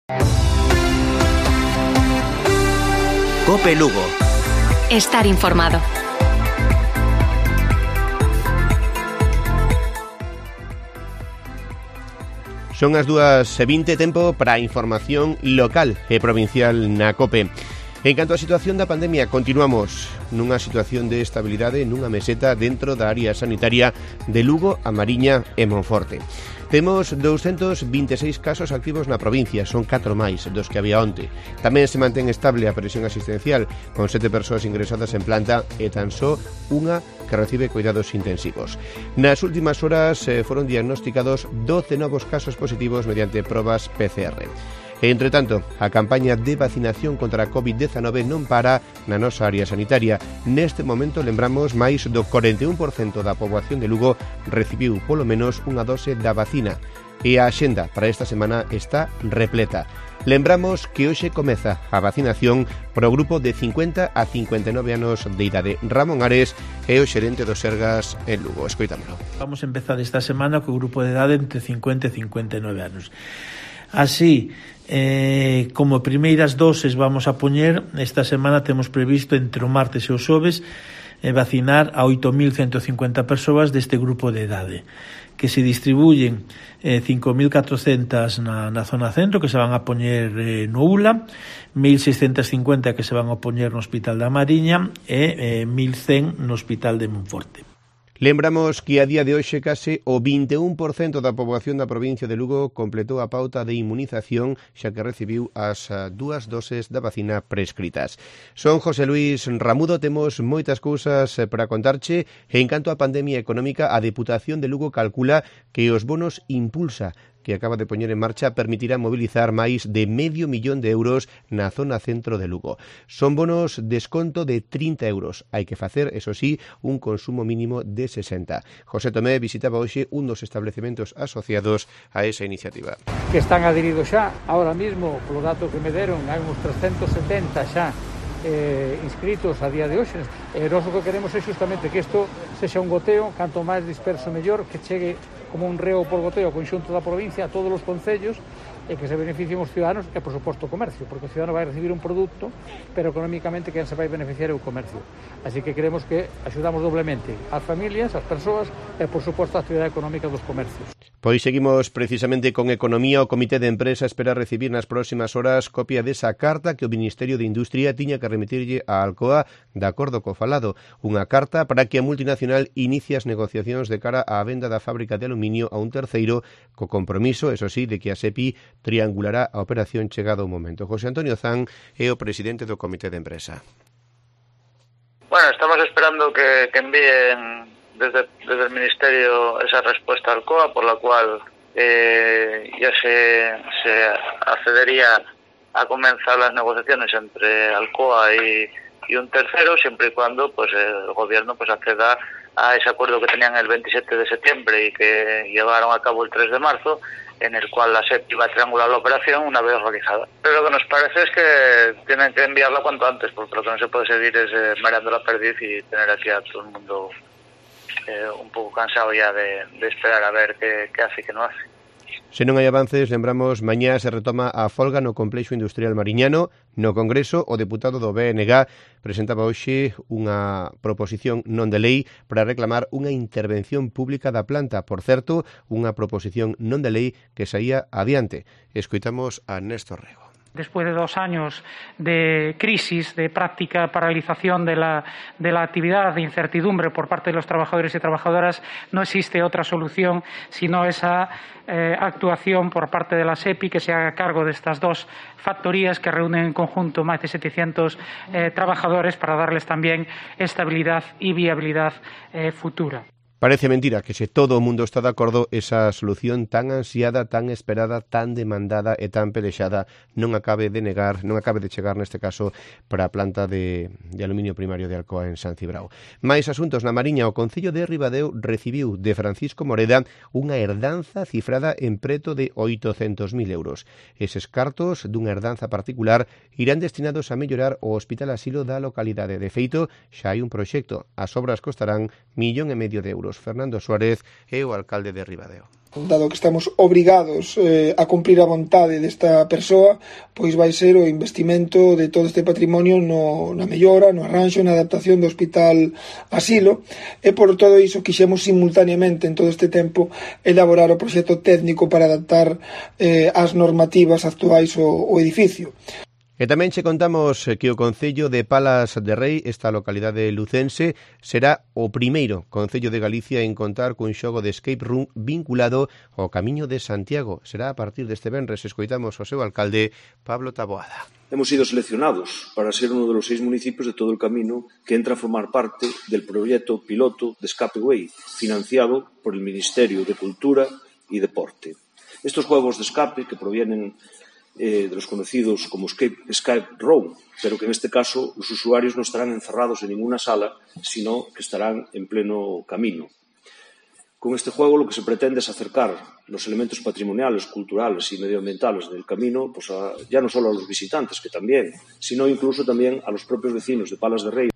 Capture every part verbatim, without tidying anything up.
COPE Lugo. Estar informado. Son as dúas e vinte, tempo para a información local e provincial na COPE. En canto á situación da pandemia, continuamos nunha situación de estabilidade nunha meseta dentro da área sanitaria de Lugo, A Mariña e Monforte. Temos doscientos veintiséis casos activos na provincia, son catro máis dos que había onte. Tamén se mantén estable a presión asistencial, con sete persoas ingresadas en planta e tan só unha que recibe cuidados intensivos. Nas últimas horas eh, foron diagnosticados doce novos casos positivos mediante probas P C R. E, entre tanto, a campaña de vacinación contra a covid dezanove non para na nosa área sanitaria. Neste momento, lembramos, máis do cuarenta e un por cento da poboación de Lugo recibiu polo menos unha dose da vacina. E a axenda para esta semana está repleta. Lembramos que hoxe comeza a vacinación para o grupo de cincuenta a cincuenta e nove anos de idade. Ramón Ares é o xerente do Sergas en Lugo. Escoitámolo. Vamos a empezar esta semana co grupo de idade entre cincuenta e cincuenta e nove anos. Así, eh, como primeiras doses vamos a poñer, esta semana temos previsto entre o martes e o xoves eh, vacinar a oito mil ciento cincuenta persoas deste grupo de idade, que se distribuyen eh, cinco mil catrocentas na, na zona centro, que se van a poñer eh, no U L A, mil seiscentos cincuenta que se van a poñer no Hospital da Mariña e eh, mil cen no Hospital de Monforte. Lembramos que a día de hoxe case o vinte e un por cento da poboación da provincia de Lugo completou a pauta de inmunización, xa que recibiu as dúas doses da vacina prescritas. Son José Luis Ramudo, temos moitas cousas para contarche. En canto á pandemia económica, a Deputación de Lugo calcula que os bonos Impulsa, que acaba de poñer en marcha, permitirá mobilizar máis de medio millón de euros na zona centro de Lugo. Son bonos desconto de trinta euros. Hai que facer, eso sí, un consumo mínimo de sesenta. José Tomé visitaba hoxe un dos establecementos asociados a esa iniciativa. Que están adheridos xa, ahora mismo, polo dato que me deron, hai uns trescentos setenta xa eh, inscritos a día de hoxe. E nós o que queremos é justamente que isto sexa un goteo, canto máis disperso mellor, que chegue como un reo por goteo ao conxunto da provincia, a todos os concellos, e que se beneficien os ciudadanos e, por suposto, o comercio, porque o ciudadano vai recibir un produto, pero económicamente quen se vai beneficiar é o comercio. Así que queremos que axudamos doblemente as familias, as persoas e, por suposto, a actividade económica dos comercios. Pois seguimos precisamente con economía. O Comité de Empresa espera recibir nas próximas horas copia desa carta que o Ministerio de Industria tiña que remitirlle a Alcoa de acordo co falado. Unha carta para que a multinacional inicie as negociacións de cara á venda da fábrica de aluminio a un terceiro, co compromiso, eso sí, de que a SEPI triangulará a operación chegado o momento. José Antonio Zan é o presidente do Comité de Empresa. Bueno, estamos esperando que, que envíen desde, desde el Ministerio esa respuesta al Alcoa, por la cual eh, ya se, se accedería a comenzar las negociaciones entre Alcoa y, y un tercero, siempre y cuando pues el gobierno pues acceda a ese acuerdo que tenían el veintisiete de septiembre y que llevaron a cabo el tres de marzo, en el cual la SEPI va a triangular la operación una vez realizada. Pero lo que nos parece es que tienen que enviarla cuanto antes, porque lo que no se puede seguir es eh, mareando la perdiz y tener aquí a todo el mundo eh, un pouco cansado ya de, de esperar a ver qué, qué hace y qué no hace. Se non hai avances, lembramos, mañá se retoma a folga no Complexo Industrial Mariñano. No Congreso, o deputado do B N G presentaba hoxe unha proposición non de lei para reclamar unha intervención pública da planta. Por certo, unha proposición non de lei que saía adiante. Escoitamos a Néstor Rego. Después de dos años de crisis, de práctica paralización de la, de la actividad, de incertidumbre por parte de los trabajadores y trabajadoras, no existe otra solución sino esa eh, actuación por parte de la SEPI que se haga cargo de estas dos factorías que reúnen en conjunto más de setecientos eh, trabajadores para darles también estabilidad y viabilidad eh, futura. Parece mentira que se todo o mundo está de acordo, esa solución tan ansiada, tan esperada, tan demandada e tan pelexada non acabe de negar, non acabe de chegar neste caso para a planta de, de aluminio primario de Alcoa en San Cibrao. Mais asuntos na Mariña, o Concello de Ribadeo recibiu de Francisco Moreda unha herdanza cifrada en preto de oitocentos mil euros. Eses cartos dunha herdanza particular irán destinados a mellorar o Hospital Asilo da localidade. De feito, xa hai un proxecto. As obras costarán millón e medio de euros. Fernando Suárez é o alcalde de Ribadeo. Dado que estamos obrigados eh, a cumprir a vontade desta persoa, pois vai ser o investimento de todo este patrimonio no, na mellora, no arranxo, na adaptación do hospital asilo, e por todo iso quixemos simultaneamente en todo este tempo elaborar o proxecto técnico para adaptar eh, as normativas actuais ao, ao edificio. E tamén che contamos que o Concello de Palas de Rei, esta localidade lucense, será o primeiro Concello de Galicia en contar cun xogo de escape room vinculado ao Camiño de Santiago. Será a partir deste venres. Escoitamos ao seu alcalde, Pablo Taboada. Hemos sido seleccionados para ser uno de los seis municipios de todo el camino que entra a formar parte del proyecto piloto de Escape Way, financiado por el Ministerio de Cultura y Deporte. Estos juegos de escape que provienen Eh, de los conocidos como Escape, Escape Room, pero que en este caso los usuarios no estarán encerrados en ninguna sala, sino que estarán en pleno camino. Con este juego lo que se pretende es acercar los elementos patrimoniales, culturales y medioambientales del camino, pues a, ya no solo a los visitantes, que también, sino incluso también a los propios vecinos de Palas de Rei.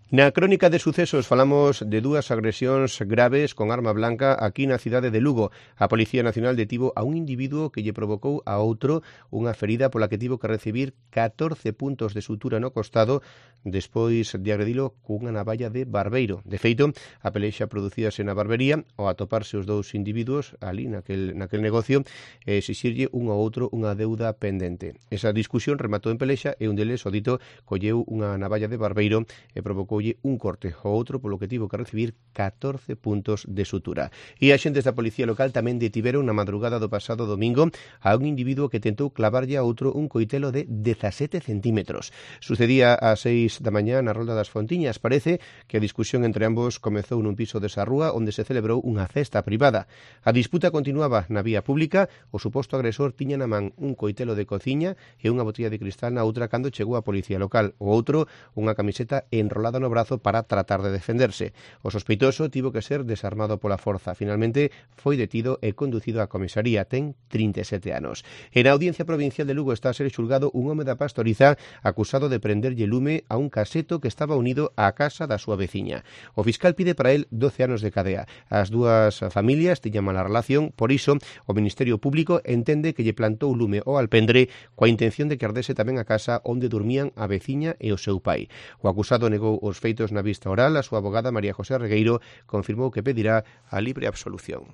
Na crónica de sucesos falamos de dúas agresións graves con arma blanca aquí na cidade de Lugo. A Policía Nacional detivo a un individuo que lle provocou a outro unha ferida pola que tivo que recibir catorce puntos de sutura no costado despois de agredilo cunha navalla de barbeiro. De feito, a pelexa producíase na barbería ao atoparse os dous individuos ali naquel, naquel negocio e exixirlle un ao outro unha deuda pendente. Esa discusión rematou en pelexa e un deles, o dito, colleu unha navalla de barbeiro e provocou un corte ao outro polo que tivo que recibir catorce puntos de sutura. E a xentes da Policía Local tamén detiveron na madrugada do pasado domingo a un individuo que tentou clavarlle a outro un coitelo de dezasete centímetros. Sucedía ás seis da mañá na Rolda das Fontiñas. Parece que a discusión entre ambos comezou nun piso desa rúa onde se celebrou unha festa privada. A disputa continuaba na vía pública. O suposto agresor tiña na man un coitelo de cociña e unha botella de cristal na outra cando chegou a Policía Local. O outro, unha camiseta enrolada no brazo para tratar de defenderse. O sospeitoso tivo que ser desarmado pola forza. Finalmente foi detido e conducido á comisaría. Ten trinta e sete anos. En a Audiencia Provincial de Lugo está a ser xulgado un home da Pastoriza acusado de prenderlle lume a un caseto que estaba unido á casa da súa veciña. O fiscal pide para él doce anos de cadea. As dúas familias tiñan mala relación, por iso o Ministerio Público entende que lle plantou lume ao alpendre coa intención de que ardese tamén a casa onde dormían a veciña e o seu pai. O acusado negou os feitos na vista oral. A súa abogada María José Regueiro confirmou que pedirá a libre absolución.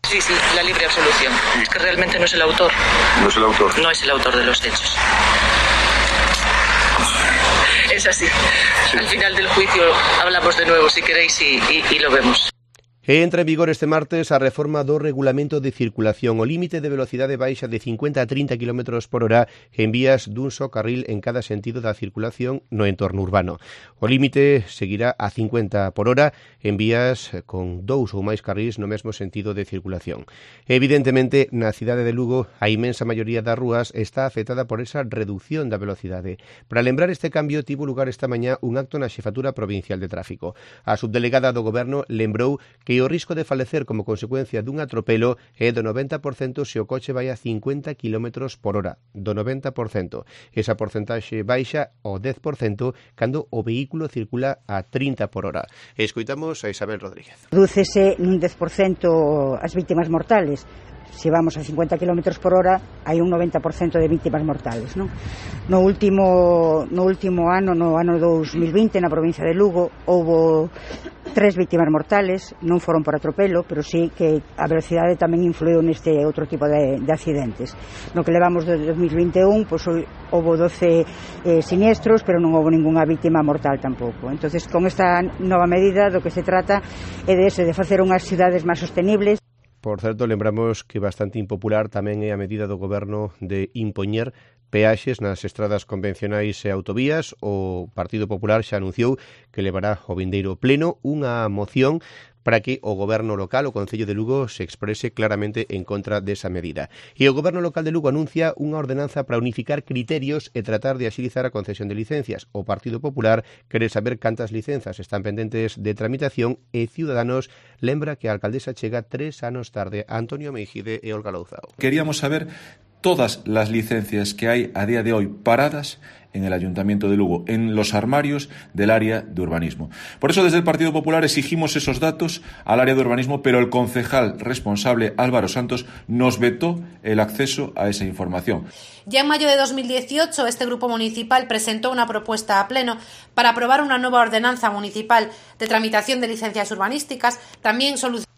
Sí, sí, la libre absolución. Es que realmente no es el autor. No es el autor. No es el autor de los hechos. Es así. Sí. Al final del juicio hablamos de nuevo, si queréis, y, y, y lo vemos. E entra en vigor este martes a reforma do regulamento de circulación. O límite de velocidade baixa de cincuenta a trinta kilómetros por hora en vías dun só carril en cada sentido da circulación no entorno urbano. O límite seguirá a cincuenta por hora en vías con dous ou máis carrís no mesmo sentido de circulación. Evidentemente, na cidade de Lugo, a inmensa maioría das rúas está afectada por esa reducción da velocidade. Para lembrar este cambio, tivo lugar esta mañá un acto na Xefatura Provincial de Tráfico. A subdelegada do Goberno lembrou que o risco de falecer como consecuencia dun atropelo é do noventa por cento se o coche vai a cincuenta kilómetros por hora. Do noventa por cento. Esa porcentaxe baixa ao dez por cento cando o vehículo circula a trinta por hora. Escoitamos a Isabel Rodríguez. Redúcese nun dez por cento as vítimas mortales. Se vamos a cincuenta kilómetros por hora, hai un noventa por cento de vítimas mortales, non? No último, no último ano, no ano dos mil vinte, na provincia de Lugo, houbo tres vítimas mortales, non foron por atropelo, pero sí que a velocidade tamén influiu neste outro tipo de, de accidentes. No que levamos do dos mil vinte e un, pois houbo doce eh, siniestros, pero non houbo ningunha vítima mortal tampouco. Entonces, con esta nova medida, do que se trata é de eso, de facer unhas cidades máis sostenibles. Por certo, lembramos que bastante impopular tamén é a medida do Goberno de impoñer peaxes nas estradas convencionais e autovías. O Partido Popular xa anunciou que levará ao vindeiro pleno unha moción para que o Goberno local, o Concello de Lugo, se exprese claramente en contra desa medida. E o Goberno local de Lugo anuncia unha ordenanza para unificar criterios e tratar de axilizar a concesión de licencias. O Partido Popular quere saber cantas licenzas están pendentes de tramitación e Ciudadanos lembra que a alcaldesa chega tres anos tarde. Antonio Meijide e Olga Louzao. Queríamos saber todas las licencias que hay a día de hoy paradas en el Ayuntamiento de Lugo, en los armarios del área de urbanismo. Por eso desde el Partido Popular exigimos esos datos al área de urbanismo, pero el concejal responsable, Álvaro Santos, nos vetó el acceso a esa información. Ya en mayo de dos mil dieciocho, este grupo municipal presentó una propuesta a pleno para aprobar una nueva ordenanza municipal de tramitación de licencias urbanísticas, también solucionando.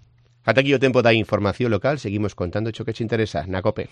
Ata aquí o tempo da información local, seguimos contando cho que che interesa na COPE.